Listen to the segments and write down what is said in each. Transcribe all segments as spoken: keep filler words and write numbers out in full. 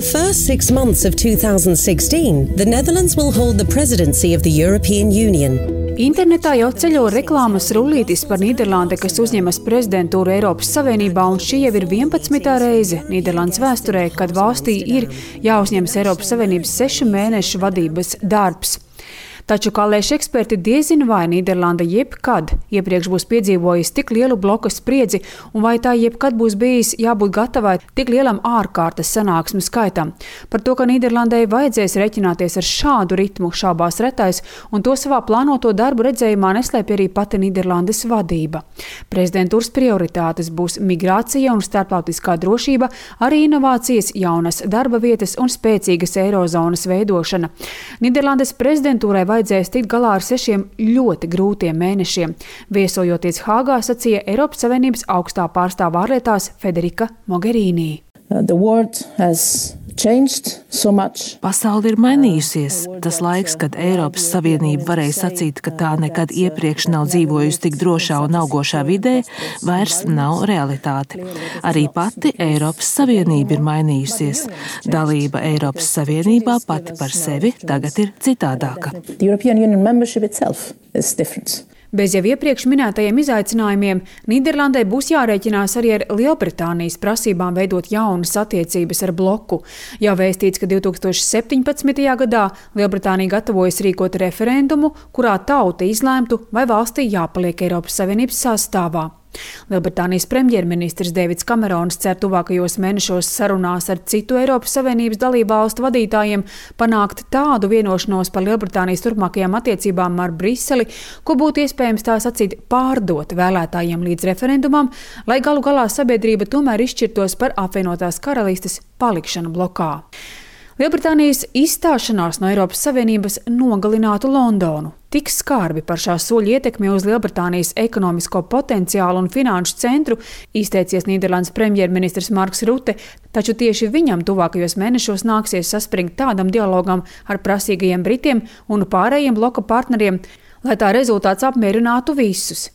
the first six months of two thousand sixteen, the Netherlands will hold the presidency of the European Union. Internetā jau ceļo reklāmas rullītis par Nīderlandi, kas uzņemas prezidentūru Eiropas Savienībā, un šī jau ir vienpadsmitā reize Nīderlandes vēsturē, kad valstī ir jāuzņemas Eiropas Savienības sešu mēnešu vadības darbs. Taču, kā lēš eksperti, diezin vai Nīderlanda jebkad iepriekš būs piedzīvojusi tik lielu bloka spriedzi, un vai tā jebkad būs bijis jābūt gatavai tik lielam ārkārtas sanāksmu skaitam. Par to, ka Nīderlandai vajadzēs reķināties ar šādu ritmu, šaubās retais, un to savā plānoto darbu redzējumā neslēpj arī pati Nīderlandes vadība. Prezidentūras prioritātes būs migrācija un starptautiskā drošība, arī inovācijas, jaunas darba vietas un spēcīgas eirozonas veidošana. Nīderlandes prezidentūrai vajadzēs tikt galā ar sešiem ļoti grūtiem mēnešiem. Viesojoties Hāgā, sacīja Eiropas Savienības augstā pārstāvā ārlietās Federika Mogherini. The world has changed so much. Pasaule ir mainījusies. Tas laiks, kad Eiropas Savienība varēja sacīt, ka tā nekad iepriekš nav dzīvojusi tik drošā un augošā vidē, vairs nav realitāte. Arī pati Eiropas Savienība ir mainījusies. Dalība Eiropas Savienībā pati par sevi tagad ir citādāka. The European Union membership itself is different. Bez jau iepriekš minētajiem izaicinājumiem, Nīderlandai būs jārēķinās arī ar Lielbritānijas prasībām veidot jaunas attiecības ar bloku. Jau vēstīts, ka divi tūkstoši septiņpadsmitajā gadā Lielbritānija gatavojas rīkot referendumu, kurā tauta izlēmtu, vai valstī jāpaliek Eiropas Savienības sastāvā. Lielbritānijas premjerministrs Deivids Kamerons cer tuvākajos mēnešos sarunās ar citu Eiropas Savienības dalībvalstu vadītājiem panākt tādu vienošanos par Lielbritānijas turpmākajām attiecībām ar Briseli, ko būtu iespējams tā sacīt pārdot vēlētājiem līdz referendumam, lai galu galā sabiedrība tomēr izšķirtos par apvienotās karalistes palikšanu blokā. Lielbritānijas izstāšanās no Eiropas Savienības nogalinātu Londonu. Tik skarbi par šā soļa ietekmi uz Lielbritānijas ekonomisko potenciālu un finanšu centru izteicies Nīderlandes premjerministrs Marks Rute, taču tieši viņam tuvākajos mēnešos nāksies saspringt tādam dialogam ar prasīgajiem Britiem un pārējiem bloka partneriem, lai tā rezultāts apmierinātu visus.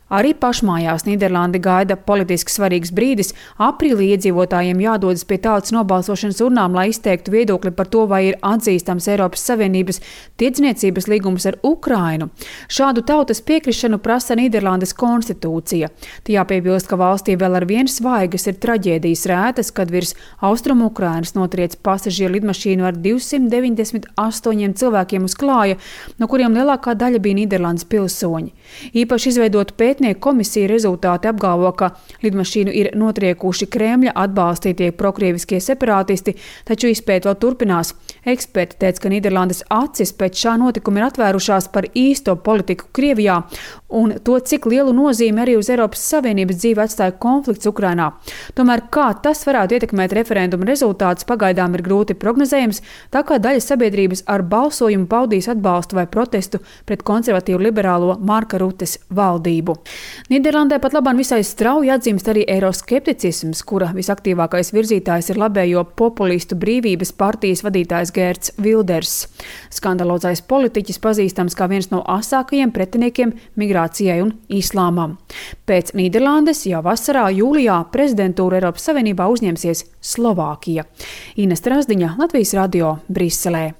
Arī pašmājās Nīderlandi gaida politiski svarīgs brīdis. Aprīlī iedzīvotājiem jādodas pie tautas nobalsošanas urnām, lai izteiktu viedokli par to, vai ir atzīstams Eiropas Savienības tirdzniecības līgums ar Ukrainu. Šādu tautas piekrišanu prasa Nīderlandes konstitūcija. Tie jāpiebilst, ka valstī vēl ar vienu svaigas ir traģēdijas rētas, kad virs austrumu Ukrainas notriec pasažieru lidmašīnu ar divsimt deviņdesmit astoņiem cilvēkiem uz klāja, no kuriem lielākā daļa bija Nīderlandes pilsoņi. Īpaši izveidot pēt komisija rezultāti apgalvo, ka lidmašīnu ir notriekuši Kremļa atbalstītie prokrieviskie separātisti, taču izpēta vēl turpinās. Eksperti teica, ka Nīderlandes acis pēc šā notikuma ir atvērušās par īsto politiku Krievijā un to, cik lielu nozīmi arī uz Eiropas Savienības dzīvi atstāja konflikts Ukrainā. Tomēr kā tas varētu ietekmēt referenduma rezultātus, pagaidām ir grūti prognozējams, tā kā daļa sabiedrības ar balsojumu paudīs atbalstu vai protestu pret konservatīvu liberālo Marka Rutes valdību. Nīderlandē pat labāk visai strauji atzīmst arī eiroskepticisms, kura visaktīvākais virzītājs ir labējo populistu brīvības partijas vadītājs Geerts Wilders. Skandalozais politiķis pazīstams kā viens no asākajiem pretiniekiem migrācijai un islāmam. Pēc Nīderlandes jau vasarā jūlijā prezidentūru Eiropas Savienībā uzņemsies Slovākija. Ines Trasdiņa, Latvijas radio, Briselē.